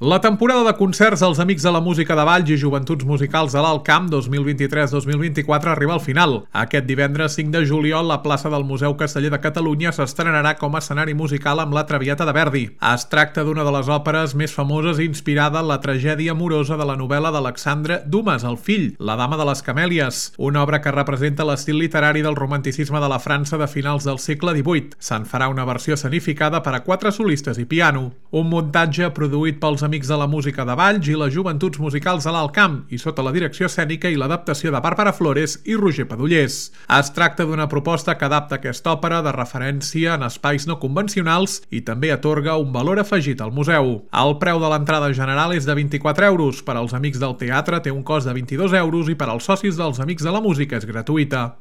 La temporada de concerts als Amics de la Música de Valls i Joventuts Musicals de l'Alt Camp 2023-2024 arriba al final. Aquest divendres 5 de juliol, la plaça del Museu Casteller de Catalunya s'estrenarà com a escenari musical amb La Traviata de Verdi. Es tracta d'una de les òperes més famoses inspirada en la tragèdia amorosa de la novel·la d'Alexandre Dumas, el fill, La dama de les camèlies, una obra que representa l'estil literari del romanticisme de la França de finals del segle XVIII. Se'n farà una versió escenificada per a 4 solistes i piano. Un muntatge produït pels Amics de la Música de Valls i les Joventuts Musicals de l'Alt Camp i sota la direcció escènica i l'adaptació de Bàrbara Flores i Roger Padullers. Es tracta d'una proposta que adapta aquesta òpera de referència en espais no convencionals i també atorga un valor afegit al museu. El preu de l'entrada general és de 24 euros, per als Amics del Teatre té un cost de 22 euros i per als socis dels Amics de la Música és gratuïta.